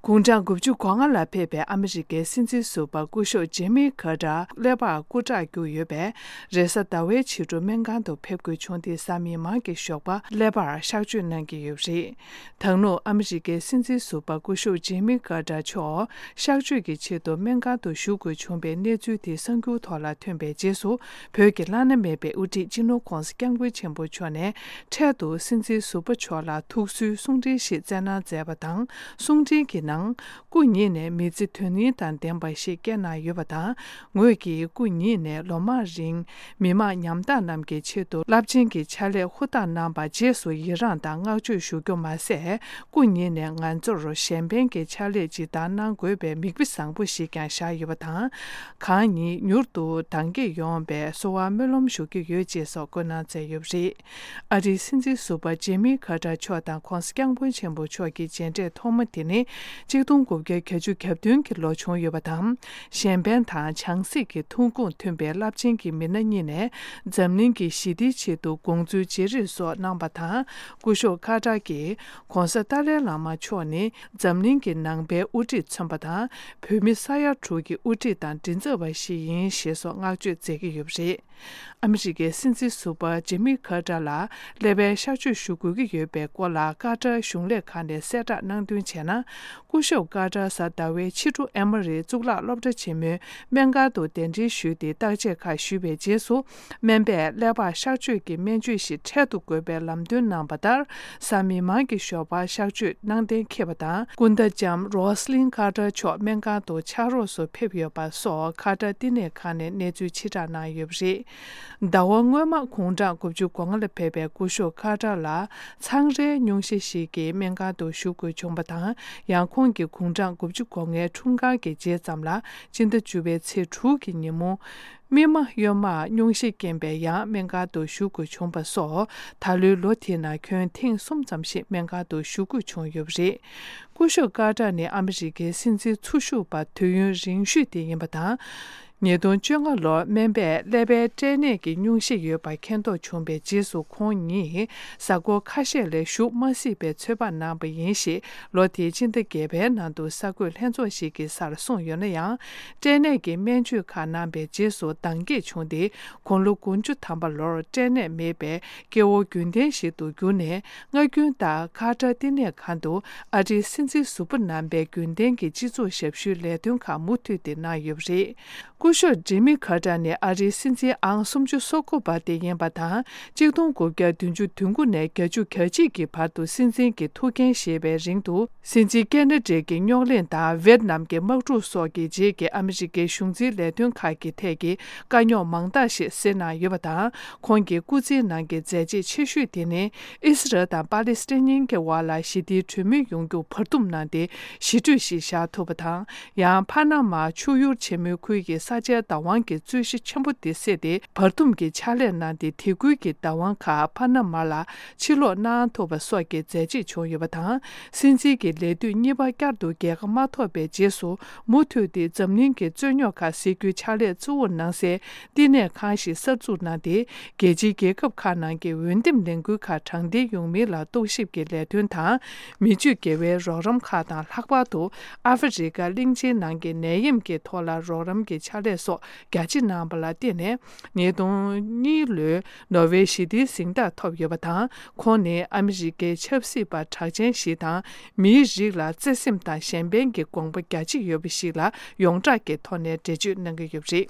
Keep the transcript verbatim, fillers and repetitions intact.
དགུང་གྲངས་དགུ་བཅུ་གོ་ལྔ་ལ་ཕེབས་པའི་ཨ་མི་རི་ཀའི་སྲིད་འཛིན་ཟུར་པ་སྐུ་ཞབས་ཇེ་མི་ཁ་ཏར་ཀླད་པར་སྐུ་དྲག་རྒྱུགས་ཡོད་པས། རེས་གཟའ་ཟླ་བའི་ཕྱི་དྲོ་སྨན་ཁང་དུ་ཕེབས་དགོས་བྱུང་སྟེ། གཟའ་མིག་དམར་གྱི་ཞོགས་པ་ཀླད་པར་གཤག་བཅོས་གནང་གི་ཡོད་པ་རེད། ད་ལོ་ཨ་མི་རི་ཀའི་སྲིད་འཛིན་ཟུར་པ་སྐུ་ཞབས་ཇེ་མི་ཁ་ཏར་མཆོག་གཤག་བཅོས་ཀྱི་ཆེད་དུ་སྨན་ཁང་དུ་བཞུགས་དགོས་བྱུང་བའི་གནས་ཚུལ་དེ་གསར་འགྱུར་ཐོག་ལ་ཐོན་པའི་རྗེས་སུ། བོད་ཀྱི་བླ་ན་མེད་པའི་དབུ་ཁྲིད་སྤྱི་ནོར་༧གོང་ས་༧སྐྱབས་མགོན་ཆེན་པོ་མཆོག་ནས་འཕྲལ་དུ་སྲིད་འཛིན་ཟུར་པ་མཆོག་ལ་ཐུགས་གསོའི་གསུང་འཕྲིན་ཞིག་བསྩལ་གནང་མཛད་པ་དང་། གསུང་འཕྲིན་གྱི་ནང་སྐུ་ཉིད་ནས་མི་ཚེ་དོན་སྙིང་དང་ལྡན་པ་ཞིག་བསྐྱལ་གནང་ཡོད་པ་དང་། ངོས་ཀྱིས་སྐུ་ཉིད་ནས་ལོ་མང་རིང་མི་དམངས་ཉམ་ཐག་རྣམས་ཀྱི་ཆེད་དུ་རླབས་ཆེན་གྱི་ཕྱག་ལས་ཧུར་ཐག་གནང་བར་རྗེས་སུ་ཡི་རངས་དང་བསྔགས་བརྗོད་ཞུ་རྒྱུ་མ་ཟད། སྐུ་ཉིད་ནས་ང་ཚོར་གཞན་ཕན་གྱི་ཕྱག་ལས་ཇི་ལྟར་གནང་དགོས་པའི་མིག་དཔེ་བཟང་པོ་ཞིག་ཀྱང་བཞག་ཡོད་པ་དང་། གང་ཉིད་མྱུར་དུ་དྭངས་སྐྱེད་ཡོང་བའི་གསོལ་བ་སྨོན་ལམ་ཞུ་གི་ཡོད་ཅེས་སོགས་བཀོད་གནང་མཛད་ཡོད་པ་རེད། ཨ་རིའི་སྲིད་འཛིན་ཟུར་པ་ཇེ་མི་ཁ་ཏར་མཆོག་དང་༧གོང་ས་༧སྐྱབས་མགོན་ཆེན་པོ་མཆོག་གི་མཇལ་འཕྲད་ཐོག་མ་དེ་ནི་ཆིག་སྟོང་དགུ་བརྒྱ་གྱ་བཅུ་གྱ་བདུན་གྱི་ལོ་བྱུང་ཡོད་པ་དང་། གཞན་ཕན་དང་བྱང་སེམས་ཀྱི་ཐོན་ཁུངས་མཐུན་པའི་རླབས་ཆེན་གྱི་མི་སྣ་གཉིས་ནས་འཛམ་གླིང་གི་ཞི་བདེའི་ཆེད་དུ་དགོངས་ཚུལ་བརྗེ་རེས་སོགས་གནང་བ་དང་། སྐུ་ཞབས་ཁ་ཏར་གྱིས་༧གོང་ས་ཏཱ་ལའི་བླ་མ་མཆོག་ནི་འཛམ་གླིང་གི་ནང་པའི་དབུ་ཁྲིད་མཚོན་པ་དང་། བོད་མི་ས་ཡ་དྲུག་གི་དབུ་ཁྲིད་དང་མགྲིན་ཚབ་པ་ཞིག་ཡིན་ཞེས་སོགས་བསྔགས་བརྗོད་མཛད་ཀྱི་ཡོད་པ་རེད། ཨ་མི་རི་ཀའི་སྲིད་འཛིན་ཟུར་པ་ཇེ་མི་ཁ་ཏར་ལ་ཀླད་པའི་གཤག་བཅོས་ཞུ་དགོས་ཀྱི་ཡོད་པའི་སྐོར་ལ་ཀ་ཏར་གཞུང་ལས་ཁང་ནས་གསལ་བསྒྲགས་གནང་དོན་བྱས་ན། སྐུ་ཞབས་ཀ་ཏར་གཟའ་ཟླ་བའི་ཕྱི་དྲོ་ཨེ་མོ་རི་གཙུག་ལག་སློབ་གྲྭ་ཆེན་མོའི་སྨན་ཁང་དུ་གདན་འདྲེན་ཞུས་ཏེ་བརྟག་དཔྱད་ཁག་ཞུས་པའི་རྗེས་སུ། སྨན་པས་ཀླད་པར་གཤག་བཅོས་ཀྱི་སྨན་བཅོས་ཤིག་འཕྲལ་དུ་དགོས་པའི་ལམ་སྟོན་གནང་བ་ལྟར། གཟའ་མིག་དམར་གྱི་ཞོགས་པར་གཤག་བཅོས་གནང་གཏན་འཁེལ་བ་དང་། སྐུ་ཟླ་ལྕམ་རོ་སི་ལིན་ཀ་ཏར་མཆོག་སྨན་ཁང་དུ་ཕྱག་རོགས་སུ་ཕེབས་ཡོད་པ་སོགས་ཀ་ཏར་བསྟི་གནས་ཁང་ནས་གནས་ཚུལ་ཕྱིར་བསྒྲགས་གནང་ཡོད་པ་རེད། ཟླ་བ་སྔོན་མ་དགུང་གྲངས་དགུ་བཅུ་གོ་ལྔ་ལ་ཕེབས་པའི་སྐུ་ཞབས་ཀ་ཏར་ལ་ཚངས་རའི་སྙུང་གཞི་ཞིག་གིས་སྨན་ཁང་དུ་ཞུགས་དགོས་བྱུང་བ་དང་། ཡང་ཁོང་གི་དགུང་གྲངས་དགུ་བཅུ་གོ་ལྔའི་འཁྲུངས་སྐར་གྱི་རྗེས་ཙམ་ལ་སྤྱི་ཟླ་བཅུ་པའི་ཚེས་དྲུག་གི་ཉིན་མོ། སྨིན་མ་གཡོན་མར་སྙུང་གཞི་རྐྱེན་པས་ཡང་སྨན་ཁང་དུ་ཞུགས་དགོས་བྱུང་བ་སོགས། ད་ལོའི་ལོ་དེའི་ནང་ཁྱོན་ཐེངས་གསུམ་ཙམ་ཞིག་སྨན་ཁང་དུ་ཞུགས་དགོས་བྱུང་ཡོད་པ་རེད། སྐུ་ཞབས་ཀ་ཏར་ནི་ཨ་མི་རི་ཀའི་སྲིད་འཛིན་ཚུར་ཞུགས་པ་དུས་ཡུན་རིང་ཤོས་དེ་ཡིན་པ་དང་། ཉིས་སྟོང་བཅོ་ལྔ་ལོར་སྨན་པས་ཀླད་པའི་སྐྲན་ནད་ཀྱི་སྙུང་གཞི་ཡོད་པ་མཁྱེན་རྟོགས་བྱུང་བའི་རྗེས་སུ། ཁོང་ཉིད་གཟའ་འཁོར་ཁ་ཤས་ལས་བཞུགས་མ་སྲིད་པའི་ཚོད་དཔག་གནང་བ་ཡིན་ཞེས། ལོ་དེའི་སྤྱི་ཟླ་བརྒྱད་པའི་ནང་དུ་གསར་འགོད་ལྷན་ཚོགས་ཤིག་གི་སར་གསུངས་ཡོད་ན་ཡང་། སྐྲན་ནད་ཀྱི་སྨན་བཅོས་ཁག་གནང་བའི་རྗེས་སུ་འདང་གད་བྱུང་སྟེ། དགུང་ལོ་དགུ་བཅུ་ཐམ་པ་ལོར་སྐྲན་ནད་མེད་པའི་སྐྱེ་བོ་རྒྱུན་ལྡན་ཞིག་ཏུ་གྱུར་ནས། སྔ་རྒྱུན་ལྟར་ཀ་ཏར་བསྟི་གནས་ཁང་དུ་ཨ་རིའི་སྲིད་འཛིན་ཟུར་པ་རྣམ་པའི་རྒྱུན་ལྡན་གྱི་སྤྱི་ཚོགས་ཞབས་ཞུའི་ལས་དོན་ཁག་མུ་མཐུད་དེ་གནང་ཡོད་པ་རེད། སྐུ་ཞབས་ཇི་མི་ཁ་ཏར་ནི་ཨ་རིའི་སྲིད་འཛིན་ཨང་སུམ་ཅུ་སོ་དགུ་པ་དེ་ཡིན་པ་དང་། གཅིག་སྟོང་དགུ་བརྒྱ་བདུན་ཅུ་དོན་དགུ་ནས་བརྒྱད་ཅུ་གྱ་གཅིག་གི་བར་དུ་སྲིད་འཛིན་གྱི་ཐུགས་འགན་བཞེས་པའི་རིང་དུ། སྲིད་འཛིན་ཀེ་ན་ཌའི་རྙོག་གླེང་དང་ཝེད་ནམ་གྱི་དམག་འཁྲུག་སོགས་ཀྱི་རྗེས་ཀྱི་ཨ་མི་རི་ཀའི་གཞུང་འཛིན་ལས་དོན་ཁག་གི་ཐད་ཀྱི་དཀའ་རྙོག་མང་དག་ཞིག་སེལ་གནང་ཡོད་པ་དང་། ཁོང་གི་སྐུ་ཚེའི་ནང་གི་མཛད་རྗེས་ཆེ་ཤོས་དེ་ནི། ཨི་སི་རལ་དང་པ་ལི་སི་ཐན་གཉིས་ཀྱི་དབར་ལ་ཞི་བདེའི་གྲོས་མོལ་ཡོང་རྒྱུར་བར་འདུམ་གནང་སྟེ། ཞི་གྲོས་ཤིག་བཞག་ཐུབ་པ་དང་། ཡང་ཕ་ན་མ་ཆུ་ཡུར་ཆེན་མོའི་ཁུལ་གྱི་ས་ཆའི་བདག་དབང་གི་རྩོད་གཞི་ཆེན་པོ་དེ་སེལ་ཏེ། བར་འདུམ་གྱི་ཕྱག་ལས་གནང་སྟེ། དེ་ཁུལ་གྱི་བདག་དབང་ཁག་ཕ་ན་མ་ལ་ཕྱིར་སློག་གནང་ཐུབ་པ་སོགས་ཀྱི་མཛད་རྗེས་བྱུང་ཡོད་པ་དང་། སྲིད་འཛིན་གྱི་ལས་དུས་གཉིས་པ་བསྐྱར་དུ་རྒྱལ་ཁ་མ་ཐོབ་པའི་རྗེས་སུ། མུ་མཐུད་དེ་འཛམ་གླིང་གི་རྩོད་རྙོག་ཁག་སེལ་རྒྱུའི་ཕྱག་ལས་གཙོ་བོར་གནང་སའི་བསྟི་གནས་ཁང་ཞིག་གསར་འཛུགས་གནང་སྟེ། རྒྱལ་སྤྱིའི་རྒྱལ་ཁབ་ཁག་ནང་གི་འོས་འདེམས་ལས་འགུལ་ཁག་དྲང་བདེན་ཡོང་མིན་ལ་རྟོག་ཞིབ་ཀྱི་ལས་དོན་དང་། མི་སྤྱོད་དགེ་བའི་རོགས་རམ་ཁག་དང་། ལྷག་པར་དུ་ཨ་ཧྥེ་རི་ཀ་གླིང་ཆེན་ནང་གི་ནད་ཡམས་ཀྱི་ཐོག་ལ་རོགས་རམ་གྱི་ཕྱག་ལས་སོགས་རྒྱ་ཆེ་གནང་བ་ལ་བརྟེན་ནས། ཉིས་སྟོང་གཉིས་ལོའི་ནོ་བྷེལ་ཞི་བདེའི་གཟེངས་རྟགས་ཐོབ་ཡོད་པ་དང་། ཁོང་ནི་ཨ་མི་རི་ཀའི་ཆབ་སྲིད་པ་གྲགས་ཅན་ཞིག་དང་། མིའི་རིགས་ལ་བརྩེ་སེམས་དང་གཞན་ཕན་གྱི་དགོངས་པ་རྒྱ་ཆེ་ཡོད་པ་ཞིག་ལ་ཡོངས་གྲགས་ཀྱི་ཐོག་ནས་འགྲེལ་བརྗོད་གནང་གི་ཡོད་པ་རེད།